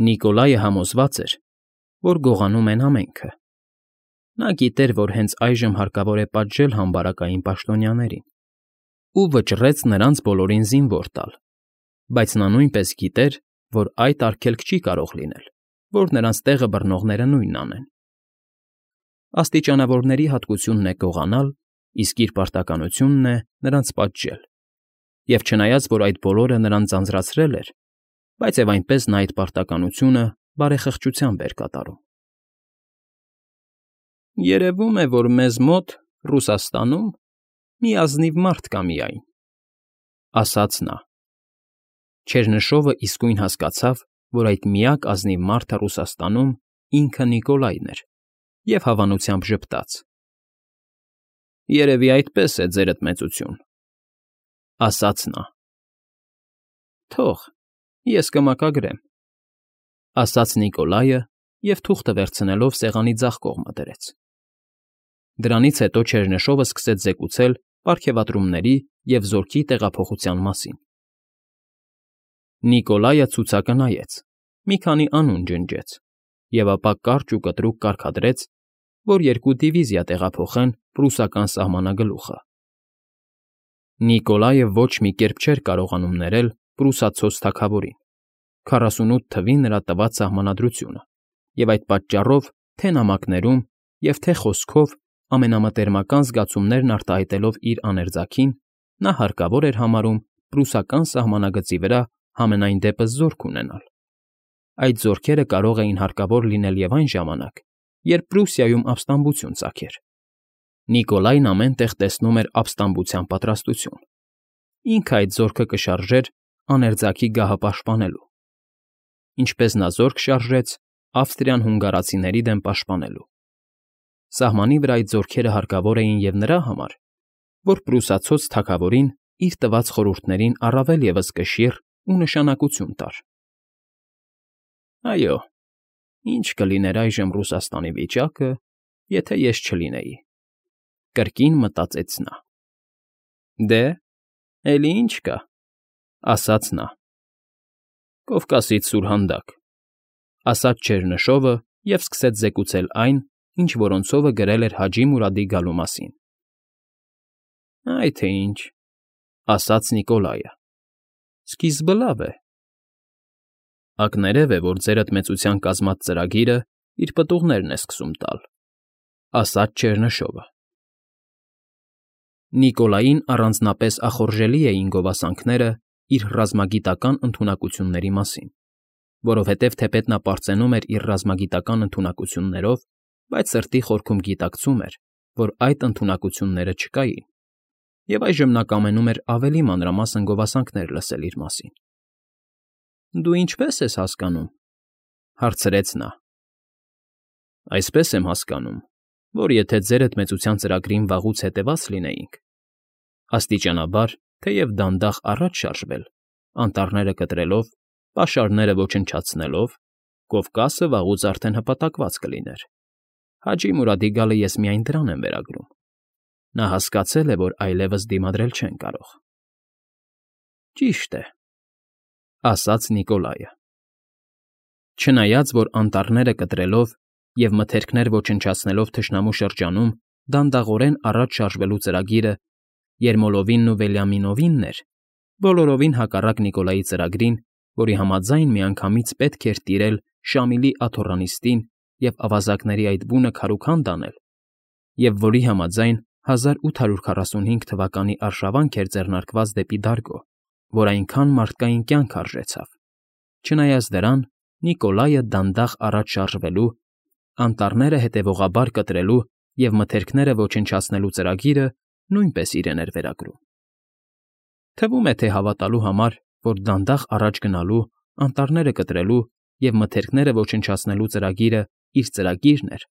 Նիկոլայը համոզված էր, որ գողանում են ամենքը։ Նա գիտեր, որ հենց այժմ հարկավոր է պատժել համբարակային պաշտոնյաներին ու վճռեց նրանց բոլորին զինվոր տալ, բայց նա նույնպես գիտեր, որ այդ արգելք չի կարող լինել, որ նրանց տեղը բռնողները նույնն անեն։ Աստիճանավորների հատկությունն է գողանալ, իսկ իր պարտականությունն է նրանց պատժել, և չնայած, որ այդ բոլորը նրան ձանձրացրել էր, բայց և այնպես նա այդ պարտականությունը բարեխղճությամբ էր կատարում։ «Երևում է, որ մեզ մոտ, Ռուսաստանում, մի ազնիվ մարդ կա միայն,֊ ասաց նա։ Չերնշովը իսկույն հասկացավ, որ այդ միակ ազնիվ մարդը Ռուսաստանում ինքը Նիկոլայն էր, և հավանությամբ ժպտաց։ «Երևի այդպես է, ձերդ մեծություն,֊ ասաց նա։ Թող, ես կմակագրեմ,֊ ասաց Նիկոլայը և թուղթը վերցնելով սեղանի ձախ կողմը դրեց։ Դրանից հետո Չերնշովը սկսեց զեկուցել պարգևատրումների և զորքի տեղափոխության մասին։ Նիկոլայը ցուցակը նայեց, մի քանի անուն ջնջեց և ապա կարճ ու կտրուկ կարգադրեց, որ 2 դիվիզիա տեղափոխեն պրուսական սահմանագլուխը։ Նիկոլայը ոչ մի կերպ չէր կարողանում ներել պրուսացած թագավորին 48 թվի նրա տված սահմանադրությունը, և այդ պատճառով թե՛ նամակներում և թե՛ խոսքով ամենամտերմական զգացումներն արտահայտելով իր աներձակին, նա հարկավոր էր համարում պրուսական սահմանագծի վրա համենայն դեպս զորք ունենալ։ Այդ զորքերը կարող էին հարկավոր լինել և այն ժամանակ, երբ Պրուսիայում ապստամբություն ծագեր։ Նիկոլայն ամեն տեղ տեսնում էր ապստամբության պատրաստություն։ Ինքը այդ զորքը կշարժեր աներձակի գահը պաշտպանելու, ինչպես նա զորք շարժեց Ավստրիան հունգարացիների դեմ պաշտպանելու։ Սահմանի վրա այդ զորքերը հարկավոր էին և նրա համար, որ պրուսացած թագավորին իր տված խորհուրդներին առավել ևս կշիռ ու նշանակություն տար։ Այո, ի՞նչ կլիներ այժմ Ռուսաստանի վիճակը, եթե ես չլինեի,֊ կրկին մտածեց նա։ Դե, էլի ի՞նչ կա,֊ ասաց նա։ Կովկասից սուրհանդակ,֊ ասաց Չերնշովը և սկսեց զեկուցել այն, ինչ որոնցովը գրել էր Հաջի Մուրադի գալու մասին։ Այ թե ինչ,֊ ասաց Նիկոլայը։ Սկիզբը լավ է։ Ակներև է, որ ձերդ մեծության կազմած ծրագիրը իր պտուղներն է սկսում տալ,֊ ասաց Չերնշովը։ Նիկոլային առանձնապես ախորժելի էին գովասանքները իր ռազմագիտական ընդունակությունների մասին, որովհետև թեպետ նա պարծենում էր իր ռազմագիտական ընդունակություններով, բայց սրտի խորքում գիտակցում էր, որ այդ ընդունակությունները չկային, և այժմ նա կամենում էր ավելի մանրամասն գովասանքներ լսել իր մասին։ Դու ինչպե՞ս ես հասկանում,֊ հարցրեց նա։ Այսպես եմ հասկանում, որ եթե ձերդ մեծության ծրագրին վաղուց հետևած լինեինք, աստիճանաբար, թեև դանդաղ առաջ շարժվել, անտառները կտրելով, պաշարները ոչնչացնելով, Կովկասը վաղուց արդեն հպատակված կլիներ։ Հաջի Մուրադի գալը ես միայն դրան եմ վերագրում։ Նա հասկացել է, որ այլևս դիմադրել չեն կարող։ Ճիշտ է,֊ ասաց Նիկոլայը։ Չնայած, որ անտառները կտրելով և մթերքներ ոչնչացնելով թշնամու շրջանում դանդաղորեն առաջ շարժվելու ծրագիրը Երմոլովինն ու Վելյամինովինն էր, բոլորովին հակառակ Նիկոլայի ծրագրին, որի համաձայն միանգամից պետք էր տիրել Շամիլի աթոռանիստին և ավազակների այդ բունը քարուքանդ անել, և որի համաձայն 1845 թվականի արշավանք էր ձեռնարկված դեպի Դարգո, որ այնքան մարդկային կյանք արժեցավ։ Չնայած դրան, Նիկոլայը դանդաղ առաջ շարժվելու, անտառները հետևողաբար կտրելու և մթերքները ոչնչացնելու ծրագիրը նույնպես իրեն էր վերագրում։ Թվում է, թե հավատալու համար, որ դանդաղ առաջ գնալու, անտառները կտրելու և մթերքները ոչնչացնելու ծրագիրը իր ծրագիրն էր,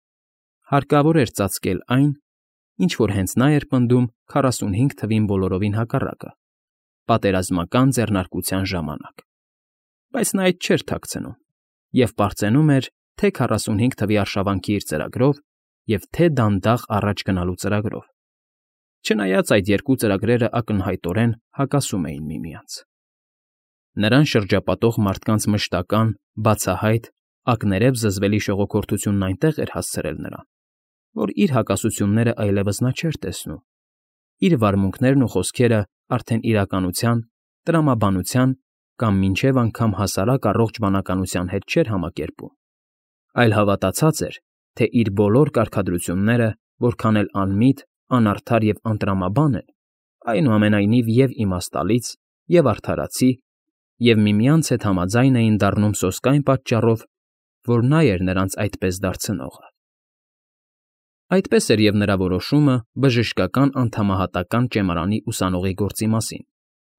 հարկավոր էր ծածկել այն, ինչ որ հենց նա էր պնդում 45 թվին բոլորովին հակառակը՝ պատերազմական ձեռնարկության ժամանակ։ Բայց նա այդ չէր թաքցնում և պարծենում էր թե 45 թվի արշավանքի իր ծրագրով և թե դանդաղ առաջ գնալու ծրագրով, չնայած այդ երկու ծրագրերը ակնհայտորեն հակասում էին միմյանց։ Նրան շրջապատող մարդկանց մշտական, բացահայտ, ակներև զզվելի շողոքորթությունն այնտեղ էր հասցրել նրան, որ իր հակասությունները այլևս նա չէր տեսնում, իր վարմունքներն ու խոսքերը արդեն իրականության, տրամաբանության կամ մինչև անգամ հասարակ առողջ բանականության հետ չէր համակերպում, այլ հավատացած էր, թե իր բոլոր կարգադրությունները, որքան էլ անմիտ, անարդար և անտրամաբան են, այնուամենայնիվ և իմաստալից, և արդարացի, և միմյանց հետ համաձայն էին դառնում սոսկ այն պատճառով, որ նա էր նրանց այդպես դարձնողը։ Այդպես էր և նրա որոշումը բժշկական անդամահատական ճեմարանի ուսանողի գործի մասին,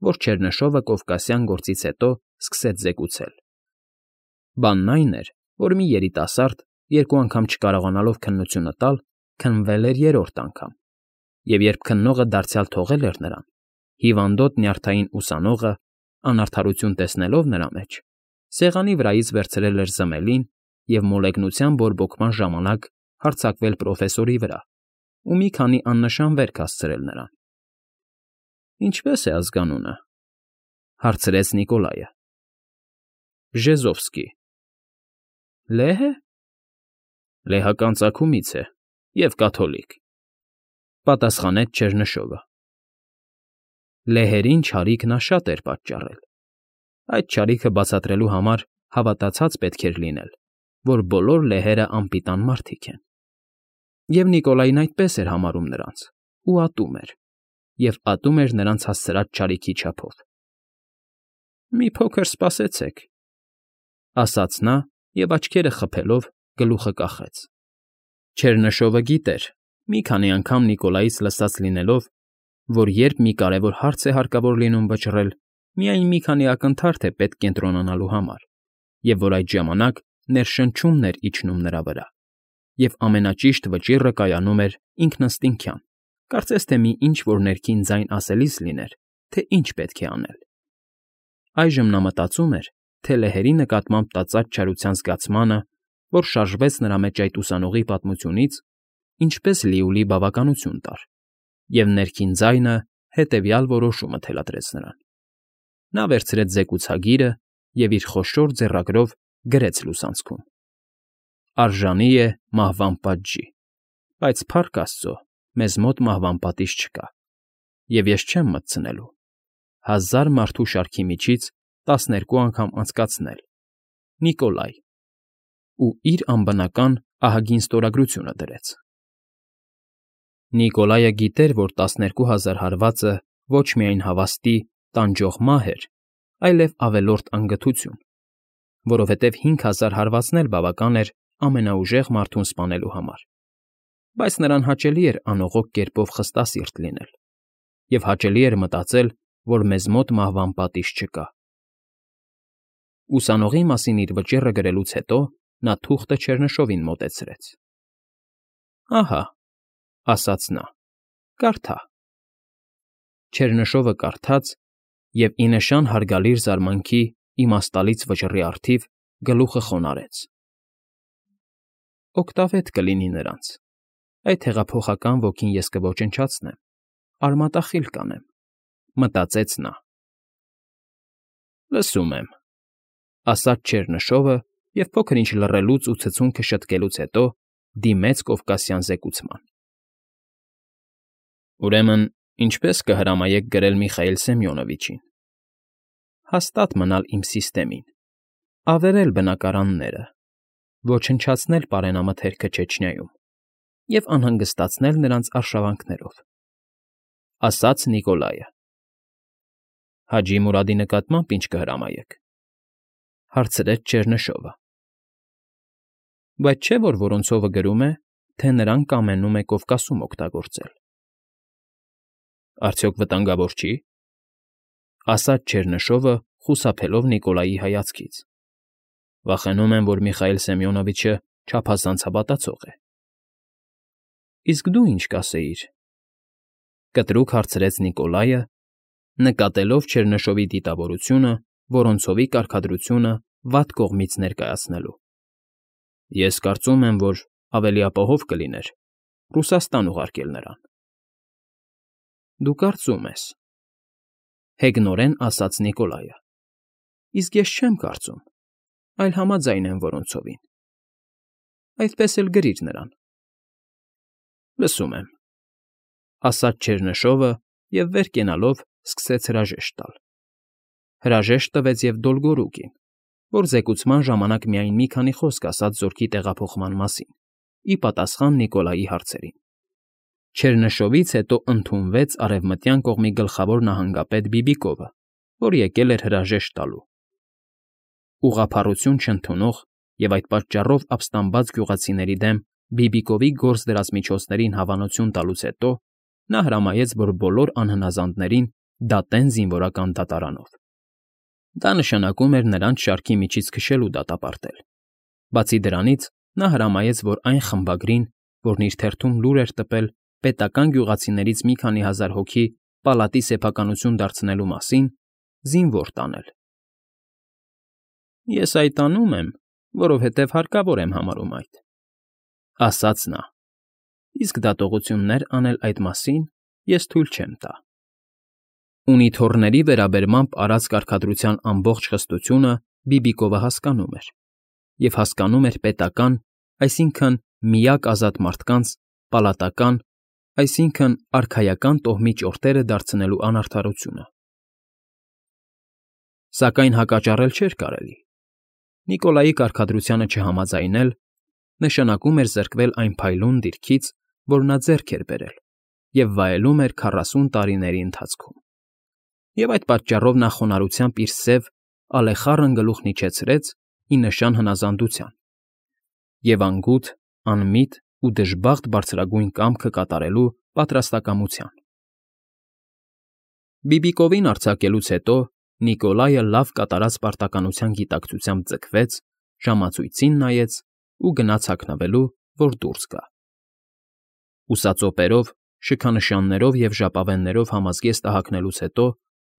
որ Չեռնշովը կովկասյան գործից հետո սկսեց զեկուցել։ Բանն այն էր, որ մի երիտասարդ, երկու անգամ չկարողանալով քննությունը տալ, քննվել էր երրորդ անգամ, և երբ քննողը դարձյալ թողել էր նրան, հիվանդոտ նյարդային ուսանողը, անարդարություն տեսնելով նրա մեջ, սեղանի վրայից վերցրել էր զմելին և մոլեգնության բորբոքման ժամանակ հարձակվել պրոֆեսորի վրա ու մի քանի աննշան վերք հասցրել նրան։ ֊ Ինչպե՞ս է ազգանունը,֊ հարցրեց Նիկոլայը։ ֊ Ժեզովսկի։ ֊ Լեհ է։ ֊ Լեհական ծագումից է և կաթոլիկ,֊ պատասխանեց Չեռնշովը։ Լեհերին չարիք նա շատ էր պատճառել։ Այդ չարիքը բացատրելու համար հավատացած պետք էր լինել, որ բոլոր լեհերը անպիտան մարդիկ են։ Եվ Նիկոլային այդպես էր համարում նրանց ու ատում էր, և ատում էր նրանց հասցրած չարիքի չափով։ ֊ Մի փոքր սպասեցեք,֊ ասաց նա և, աչքերը խփելով, գլուխը կախեց։ Չեռնշովը գիտեր, մի քանի անգամ Նիկոլայից լսած լինելով, որ երբ մի կարևոր հարց է հարկավոր լինում վճռել, միայն մի քանի ակնթարթ է պետք կենտրոնանալու համար, և որ այդ ժամանակ ներշնչումն էր իջնում նրա վրա, և ամենաճիշտ վճիռը կայանում էր ինքնըստինքյան, կարծես թե մի ինչ֊որ ներքին ձայն ասելիս լիներ, թե ինչ պետք է անել։ Այժմ նա մտածում էր, թե լեհերի նկատմամբ տածած չարության զգացմանը, որ շարժվեց նրա մեջ այդ ուսանողի պատմությունից, ինչպես լիովին բավականություն տար, և ներքին ձայնը հետևյալ որոշումը թելադրեց նրան։ Նա վերցրեց զեկուցագիրը և իր խոշոր ձեռագրով գրեց լուսանցքում. «Արժանի է մահվան պատժի, բայց, փառք աստծո, մեզ մոտ մահվան պատիժ չկա, և ես չեմ մտցնելու 1000 մարդու շարքի միջից 12 անգամ անցկացնել, Նիկոլայ», ու իր անբնական ահագին ստորագրությունը դրեց։ Նիկոլայը գիտեր, որ 12000 հարվածը ոչ միայն հավաստի, տանջող մահ էր, այլև ավելորդ անգթություն, որովհետև 5000 հարվածն էլ բավական էր ամենաուժեղ մարդուն սպանելու համար, բայց նրան հաճելի էր անողոք կերպով խստասիրտ լինել, և հաճելի էր մտածել, որ մեզ մոտ մահվան պատիժ չկա։ Ուսանողի մասին իր վճիռը գրելուց հետո նա թուղթը Չեռնշովին մոտեցրեց։ ֊ Ահա,֊ ասաց նա,֊ կարդա։ Չեռնշովը կարդաց և, ի նշան հարգալից զարմանքի իմաստալից վճռի առթիվ, գլուխը խոնարհեց։ «Օգտավետ կլինի նրանց, այդ հեղափոխական ոգին ես կոչնչացնեմ, արմատախիլ կանեմ»,֊ մտածեց նա։ ֊ Լսում եմ,֊ ասաց Չեռնշովը և փոքր֊ինչ լռելուց ու ցցունքը շտկելուց հետո դիմեց կովկասյան զեկուցման։ ֊ Ուրեմն ինչպե՞ս կհրամայեք գրել Միխայիլ Սեմյոնովիչին։ Հաստատ մնալ իմ սիստեմին, ավերել բնակարանները, ոչնչացնել պարենամթերքը Չեչնիայում և անհանգստացնել նրանց արշավանքներով,֊ ասաց Նիկոլայը։ ֊ Հաջի Մուրադի նկատմամբ ի՞նչ կհրամայեք,֊ հարցրեց Չեռնշովը։ ֊ Բայց չէ՞ որ Որոնցովը գրում է, թե նրան կամենում է Կովկասում օգտագործել։ ֊ Արդյոք վտանգավոր չի,֊ ասաց Չեռնշովը, խուսափելով Նիկոլայի հայացքից։ ֊ Վախենում եմ, որ Միխայիլ Սեմյոնովիչը չափազանց հավատացող է։ ֊ Իսկ դու ինչ կասեիր,֊ կտրուկ հարցրեց Նիկոլայը, նկատելով Չեռնշովի դիտավորությունը Որոնցովի կարգադրությունը վատ կողմից ներկայացնելու։ ֊ Ես կարծում եմ, որ ավելի ապահով կլիներ Ռուսաստան ուղարկել նրան։ ֊ Դու կարծում ես,֊ հեգնորեն ասաց Նիկոլայը։ Իսկ ես չեմ կարծում, այլ համաձայն եմ որոնցովին։ Այդպես էլ գրիր նրան։ Լսում եմ, ասաց Չերնշովը և վեր կենալով սկսեց հրաժեշտ տալ։ Հրաժեշտ տվեց և Դոլգորուկին, որ զեկուցման ժամանակ միայն մի քանի խոսք ասաց զորքի տեղափոխման մասին, ի պատասխան Նիկոլայի հարցերին։ Չերնշովից հետո ընդունվեց Արևմտյան կողմի գլխավոր նահանգապետ Բիբիկովը, որ եկել էր հրաժեշտ տալու։ Ուղղափառություն չընդունող և այդ պատճառով ապստամբած գյուղացիների դեմ Բիբիկովի գործ դրած միջոցներին հավանություն տալուց հետո նա հրամայեց, որ բոլոր անհնազանդներին դատեն զինվորական դատարանով։ Դա նշանակում էր նրանց շարքի միջից քշելու դատապարտել։ Բացի դրանից, նա հրամայեց, որ այն խմբագրին, որն իր թերթում լուր էր տպել պետական գյուղացիներից մի քանի հազար հոգի պալատի սեփականություն դարձնելու մասին, զինվոր տանել։ Ես այդ անում եմ, որովհետև հարկավոր եմ համարում այդ, ասաց նա, իսկ դատողություններ անել այդ մասին ես թույլ չեմ տա։ Ունիթոռների վերաբերմամբ արած կարգադրության ամբողջ խստությունը Բիբիկովը հասկանում էր, և հասկանում էր պետական, այսինքն միակ ազատ մարդկանց, պալատական, այսինքն արքայական տոհմի ճորտերը դարձնելու անարդարությունը։ Սակայն հակաճառել չէր կարելի։ Նիկոլայի կարգադրությանը չհամաձայնել նշանակում էր զրկվել այն փայլուն դիրքից, որ նա ձեռք էր բերել և վայելում էր 40 տարիների ընթացքում։ Եվ այդ պատճառով նա խոնարհությամբ իր սև, ալեխառն գլուխն իջեցրեց ի նշան հնազանդության և անգութ, անմիտ ու դժբախտ բարձրագույն կամքը կատարելու պատրաստակամության։ Բիբիկովին արձակելուց հետո Նիկոլայը լավ կատարած պարտականության գիտակցությամբ ձգվեց, ժամացույցին նայեց ու գնաց հագնվելու, որ դուրս գա։ Ուսածոպերով, շքանշաններով և ժապավեններով համազգեստը հագնելուց հետո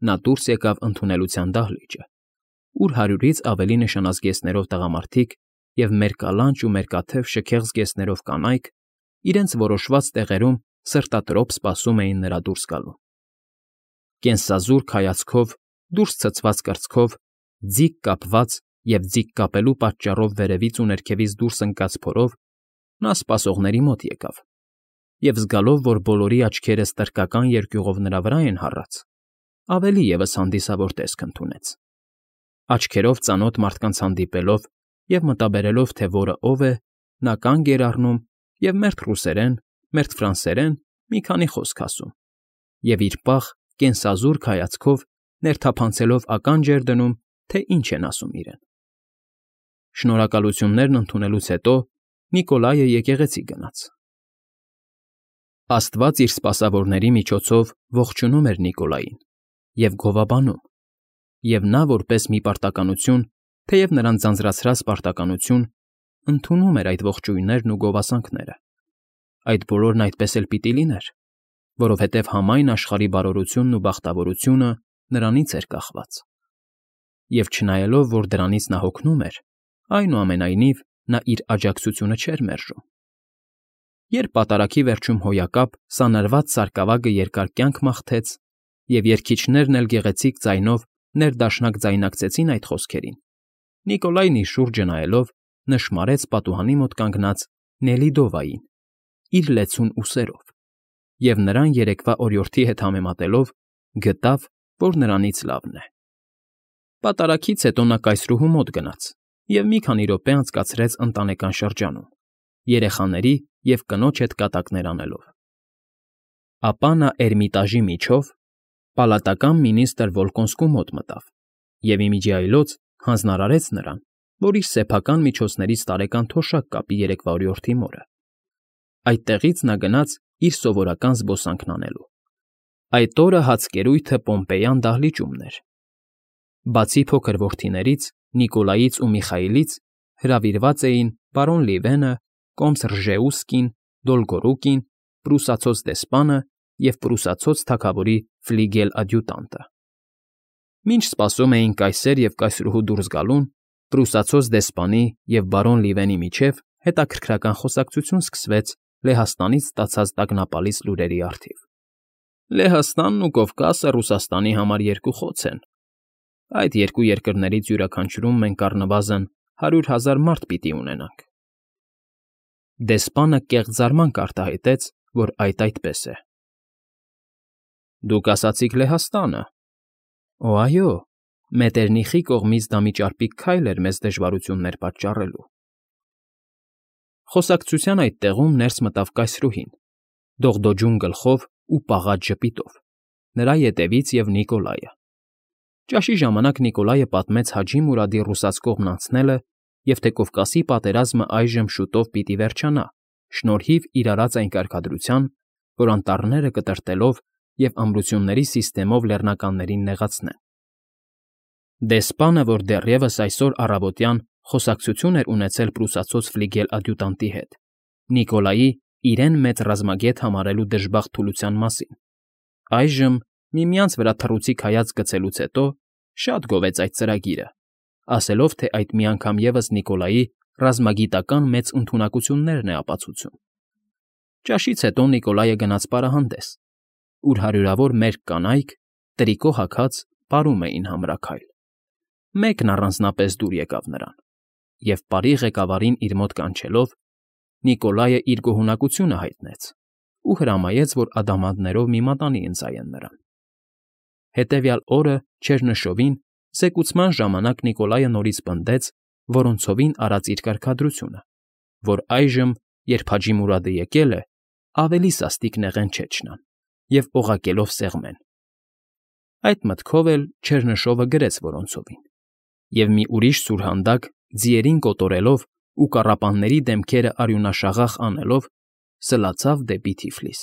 նա դուրս եկավ ընդունելության դահլիճը, ուր 100-ից ավելի նշանազգեստներով տղամարդիկ և մերկալանջ ու մերկաթև շքեղ զգեստներով կանայք իրենց որոշված տեղերում սրտատրոփ սպասում էին նրա դուրս գալուն։ Կենսազուրկ հայացքով, դուրս ցցված կրծքով, ձիգ կապված և ձիգ կապելու պատճառով վերևից ու ներքևից դուրս ընկած փորով նա սպասողների մոտ եկավ և զգալով, որ բոլորի աչքերը ստրկական երկյուղով նրա վրա են հառած, ավելի ևս հանդիսավոր տեսք ընդունեց։ Աչքերով ծանոթ մարդկանց հանդիպելով և մտաբերելով, թե որը ով է, նա կանգ էր առնում և մերթ ռուսերեն, մերթ ֆրանսերեն մի քանի խոսք ասում և իր պաղ, կենսազուրկ հայացքով ներթափանցելով ականջ էր դնում, թե ինչ են ասում իրեն։ Շնորհակալություններն ընդունելուց հետո Նիկոլայը եկեղեցի գնաց։ Աստված իր սպասավորների միջոցով ողջունում էր Նիկոլային և գովաբանում, և նա որպես մի պարտականություն, թեև նրան ձանձրացրած պարտականություն, ընդունում էր այդ ողջույններն ու գովասանքները։ Այդ բոլորն այդպես էլ պիտի լիներ, որովհետև համայն աշխարհի բարօրությունն ու բախտավորությունը նրանից էր կախված։ Եվ չնայելով, որ դրանից նա հոգնում էր, այնուամենայնիվ նա իր աջակցությունը չէր մերժում։ Երբ պատարագի վերջում հոյակապ սանրված սարկավագը երկար կյանք մաղթեց, և երգիչներն էլ գեղեցիկ ձայնով ներդաշնակ ձայնակցեցին այդ խոսքերին, Նիկոլայն իր շուրջը նայելով նշմարեց պատուհանի մոտ կանգնած Նելիդովային իր լեցուն ուսերով և նրան երեկվա օրիորդի հետ համեմատելով գտավ, որ նրանից լավն է։ Պատարագից հետո նա կայսրուհու մոտ գնաց և մի քանի րոպե անցկացրեց ընտանեկան շրջանում, երեխաների և կնոջ հետ կատակներ անելով։ Ապա նա Էրմիտաժի միջով պալատական մինիստր Վոլկոնսկու մոտ մտավ և իմիջիայլոց հանձնարարեց նրան, որ իր սեփական միջոցներից տարեկան թոշակ կապի երեկվա օրիորդի մորը։ Այդտեղից նա գնաց իր սովորական զբոսանքն անելու։ Այդ օրը հացկերույթը Պոմպեյան դահլիճումն էր։ Բացի փոքր որդիներից՝ Նիկոլայից ու Միխայիլից, հրավիրված էին պարոն Լիվենը, կոմս Ռժեուսկին, Դոլգորուկին, պրուսացոց դեսպանը և պրուսացոց թագավորի ֆլիգել֊ադյուտանտը։ Մինչ սպասում էին կայսեր և կայսրուհու դուրս գալուն, պրուսացոց դեսպանի և բարոն Լիվենի միջև հետաքրքրական խոսակցություն սկսվեց Լեհաստանից ստացած տագնապալից լուրերի առթիվ։ Լեհաստանն ու Կովկասը Ռուսաստանի համար երկու խոց են, Այդ երկու երկրներից յուրաքանչյուրում մենք առնվազն 100,000 մարդ պիտի ունենանք։ Դեսպանը կեղծ զարմանք արտահայտեց, որ այդպես է։ Դուք ասացիք Լեհաստանը։ Օ, այո, Մետերնիխի կողմից դա մի ճարպիկ քայլ էր մեզ դժվարություններ պատճառելու։ Խոսակցության այդ տեղում ներս մտավ կայսրուհին, դողդոջուն գլխով ու պաղած ժպիտով, նրա ետևից և Նիկոլայը։ Ճաշի ժամանակ Նիկոլայը պատմեց Հաջի Մուրադի ռուսաց կողմն անցնելը և թե Կովկասի պատերազմը այժմ շուտով պիտի վերջանա շնորհիվ իր արած այն կարգադրության, որ անտառները կտրտելով և ամրությունների սիստեմով լեռնականներին նեղացնեն։ Դեսպանը, որ դեռևս այսօր առավոտյան խոսակցություն էր ունեցել պրուսացած ֆլիգել ադյուտանտի հետ, Նիկոլայի իրեն մեծ ռազմագետ համարելու դժբախտ թուլության մասին, այժմ, միմյանց վրա թռուցիկ հայացք գցելուց հետո, շատ գովեց այդ ծրագիրը, ասելով, թե այդ մի անգամ ևս Նիկոլայի ռազմագիտական մեծ ընդունակություններն է ապացուցում։ Ճաշից հետո Նիկոլայը գնաց պարահանդես, ուր հարյուրավոր մերկ կանայք, տրիկո հագած, պարում էին համրաքայլ։ Մեկն առանձնապես դուր եկավ նրան, և բարի ղեկավարին իր մոտ կանչելով, Նիկոլայը իր գոհունակությունը հայտնեց ու հրամայեց, որ ադամանդներով մի մատանի ընծայեն նրան։ Հետևյալ օրը չերնշովին զեկուցման ժամանակ Նիկոլայը նորից պնդեց Որոնցովին արած իր կարգադրությունը, որ այժմ, երբ Հաջի Մուրադը եկել է, ավելի սաստիկ նեղեն չէ չնան և օղակելով սեղմեն։ Այդ մտքով էլ Չերնշովը գրեց Որոնցովին, և մի ուրիշ սուրհանդակ, ձիերին կոտորելով ու կառապանների դեմքերը արյունաշաղախ անելով, սլացավ դեպի Թիֆլիս։